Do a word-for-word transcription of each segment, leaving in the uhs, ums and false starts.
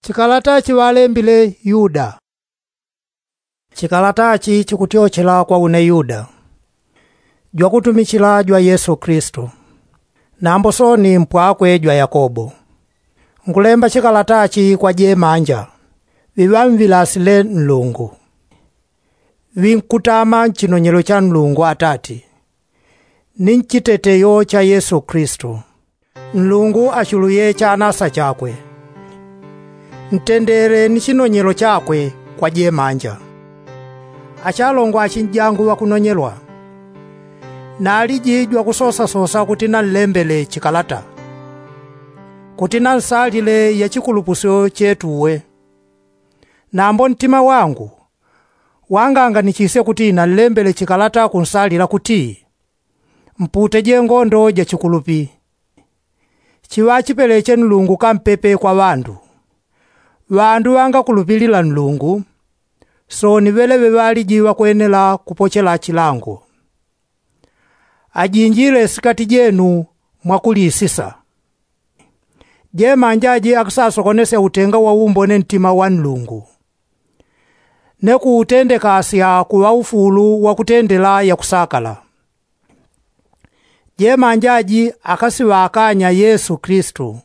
Chikalata chiŵalembile yuda. Chikalata chi chikutyochela kwa une yuda, jwakutumichila jwa yesu kristu, nambo soni mpwakwe jwa yakobo. Nkulemba chikalata chi kwa jemanja ŵiŵamvilasi le nlungu, ŵinkutama nchinonyelo cha nlungu atati, ni nchiteteyo cha yesu kristu. Nlungu achuluye chanasa chakwe. Ntendele ni chinonyelo chakwe kwa jemanja. Achalongo achinjangu ŵakunonyelwa, naliji jwakusosasosa kuti nanlembele chikalata, kuti nansalile yachikulupusyo chetuwe. Nambo ntima wangu wanganganichisye kuti nanlembele chikalata kunsalila kuti, mpute jengondo jachikulupi. Chiŵachipeleche nlungu kampepe kwa ŵandu. Ŵandu ŵangakulupilila nlungu, soni ŵeleŵe ŵaliji ŵakwenela kupochela chilango. Ajinjile sikati jenu mwakulisisa. Jemanja aji akusasokonesya utenga wa umbone ntima wa nlungu, ne kuutendekasya kuŵa ufulu wakutendela yakusakala. Jemanja aji akasiŵakanya yesu kristu,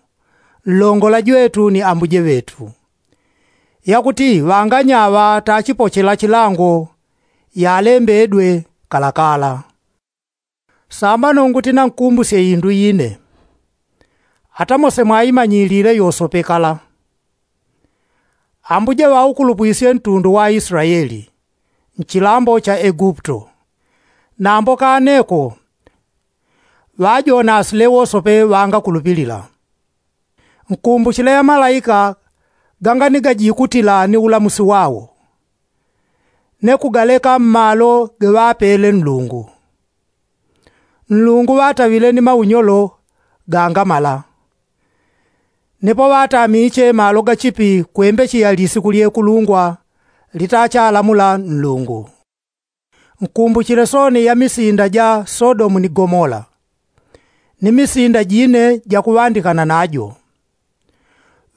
nlongola jwetu ni ambuje ŵetu, yakuti ŵanganyaŵa tachipochela chilango yalembedwe kalakala. Sambano nguti nankumbusye indu ine, ata mose mwaimanyilile yosope kala. Ambuje ŵaukulupwisye ntundu wa israeli nchilambo cha egupto, nambo kaneko ŵajonasile wosope ŵangakulupilila. Nkumbuchile amalaika ganganigajikutila ni ulamusi wao, ne kugaleka mmalo geŵapele nlungu. Nlungu ŵataŵile ni maunyolo gangamala, nipo ŵatamiche malo gachipi kwembecheya lisiku lyekulungwa litachalamula nlungu. Nkumbuchile soni ya misinda ja sodomu ni gomola, ni misinda jine jakuŵandikana najo.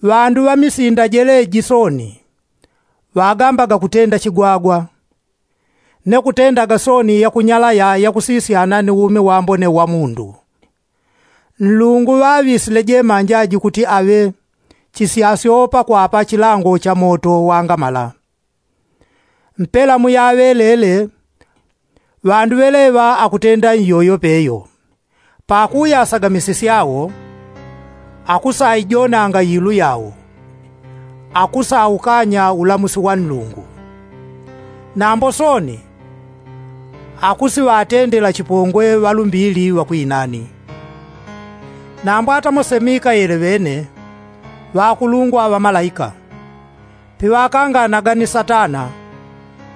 Ŵandu ŵa misinda jeleji soni ŵagambaga kutenda chigwagwa, ne kutendaga soni yakunyalaya yakusisyana ni umi wambone wa mundu. Nlungu ŵaŵisile jemanja aji kuti aŵe chisyasyo pakwapa chilango cha moto wangamala. Mpela muyaŵelele ŵandu ŵeleŵa akutenda iyoyo peyo. Pakuyasaga misisi yao akusaijonanga ilu yao, akusaukanya ulamusi wa nlungu. Nambo soni akusiŵatendela chipongwe ŵalumbili ŵakwinani. Nambo ata mose mikaele ŵene ŵakulungwa ŵamalaika, piŵakanganaga ni satana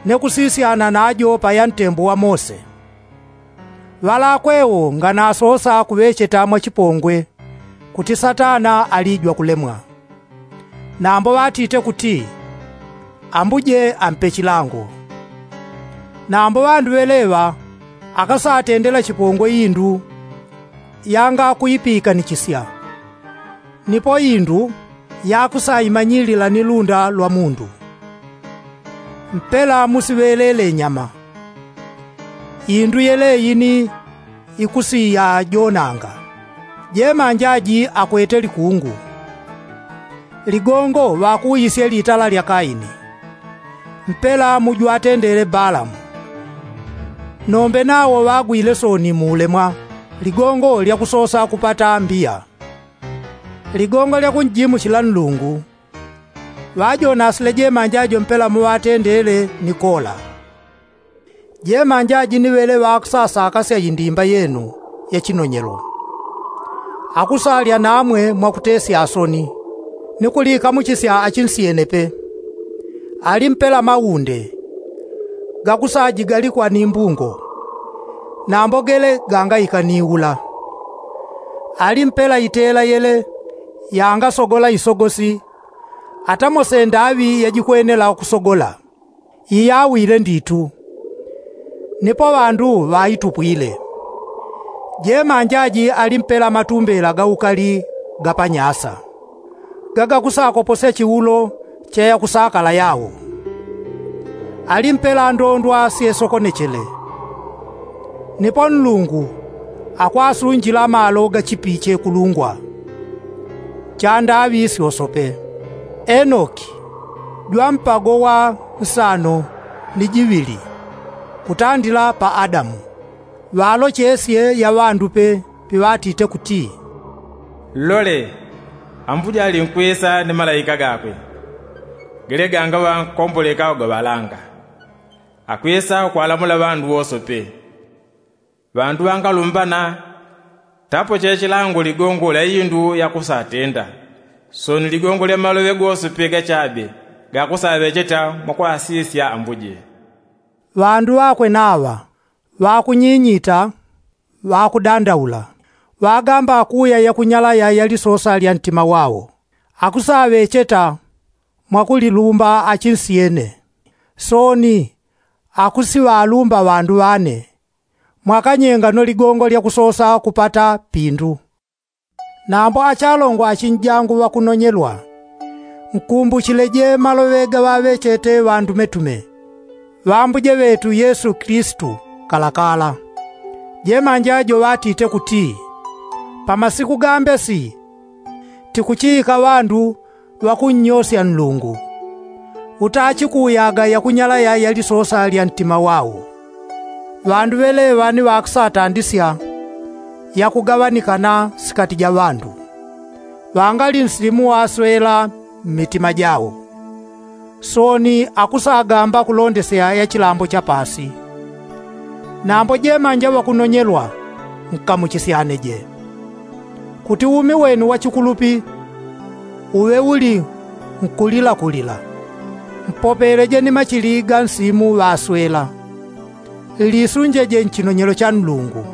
ne kusisyana najo paya ntembo wa mose. Ŵalakwewo nganasosa kuŵecheta mwachipongwe kuti satana alijwa kulemwa. Nambo ŵatite kuti, ambuje ampe chilango. Nambo ŵandu ŵeleŵa akasatendela chipongwe indu yangakuipikanichisya, nipo indu yakusaimanyilila ni lunda lwa mundu. Mpela musiŵelele nyama. Indu yeleyi ni ikusiyajonanga. Jemanja aji akwete likungu. Ligongo ŵakuwisye litala lya kaini. Mpela mujwatendele balamu. Nombe nawo ŵagwile soni muulemwa ligongo lyakusosa kupata mbiya. Ligongo lyakunjimuchila nlungu. Ŵajonasile jemanja ajo mpela muŵatendele ni kola. Jemanja aji ni ŵele ŵakusasakasya indimba yenu ya chinonyelo. Akusalya namwe mwakutesya asoni ni kulikamuchisya achinsyene pe. Ali mpela maunde gakusajigalikwa ni mbungo, nambo gele gangaika ni ula. Ali mpela itela yele yangasogola isogosi ata mose ndaŵi yajikwenela kusogola. Iyawile nditu. Nipo ŵandu ŵaitupwile. Jemanja aji ali mpela matumbela ga ukali ga panyasa. gagakusakoposya chiulo cha yakusakala yao. Alimpela ndondwa syesokonechele. Nipo nlungu akwasunjila malo gachipiche kulungwa chandaŵi syosope. Enoki jwampago wa nsano ni jiŵili kutandila pa adamu. Ŵalochesye yaŵandupe piŵatite kuti, lole, ambuje alinkwisa ni malaika gakwe gele gangaŵa nkomboleka ugaŵalanga, akwisa ukwalamula ŵandu wosope. Ŵandu ŵangalumbana tapoche chilango ligongo lya indu yakusatenda, soni ligongo lya maloŵe gosope gachabe gakusaŵecheta mwakwasisya ambuje. Ŵandu ŵakwe naŵa ŵakunyinyita, ŵakudandaula, ŵagamba akuya yakunyalaya ya lisosa lya ntima wao, akusaŵecheta mwakulilumba achinsyene. Soni akusiŵalumba ŵandu ŵane, mwakanyengano ligongo lya kusosa kupata pindu. Nambo achalongo achinjangu ŵakunonyelwa, nkumbuchileje maloŵe gaŵaŵechete ŵandumetume. Ŵambuje ŵetu yesu kilisitu kalakala. Jemanja joŵatite kuti, pamasiku gambesi tikuchiika ŵandu ŵakunnyosya nlungu, utachikuyaga yakunyalaya ya lisosa lya ntima wao. Ŵandu ŵeleŵa ni ŵakusatandisya yakugaŵanikana sikati ja ŵandu, ŵangali nsilimu waswela mmitima jao. Soni akusagamba kulondesya ya chilambo cha paasi. Nambo jemanja ŵakunonyelwa, nkamuchisyaneje, kuti umi wenu wa chikulupi uŵe uli nkulilakulila. Mpopeleje ni machili ga nsimu ŵaswela. Lisunjeje nchinonyelo cha nlungu,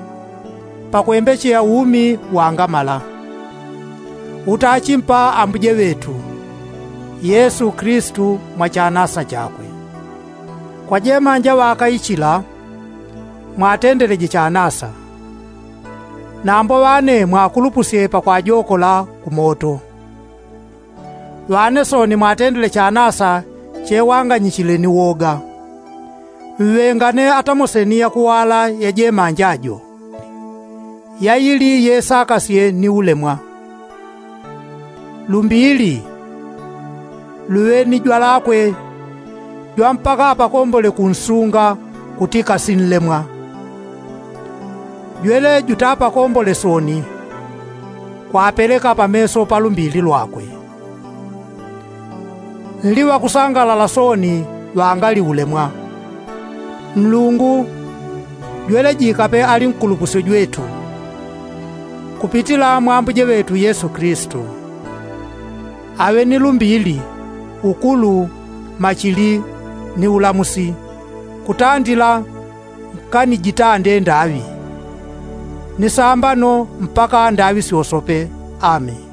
pakwembecheya umi wangamala utachimpa ambuje ŵetu yesu kilisitu mwa chanasa chakwe. Kwa jemanja ŵakaichila, mwatendeleje chanasa. Nambo ŵane mwakulupusye pakwajokola kumoto. Ŵane soni mwatendele chanasa chewanganyichile ni woga. Mŵengane atamoseni yakuwala ya jemanja jo, yaili yesakasye ni ulemwa. Lumbili luŵe ni jwalakwe jwa mpaka apakombole kunsunga kuti kasinlemwa. Jwele jutapakombole soni kwapeleka pameso pa lumbili lwakwe. Nli ŵakusangalala soni ŵangali ulemwa. Nlungu jwele jikape ali nkulupusyo jwetu kupitila mwa ambuje ŵetu yesu kilisitu. Aŵe ni lumbili, ukulu, machili, ni ulamusi, kutandila nkanijitande ndaŵi, ni sambano mpaka ndaŵi syosope. Ameni.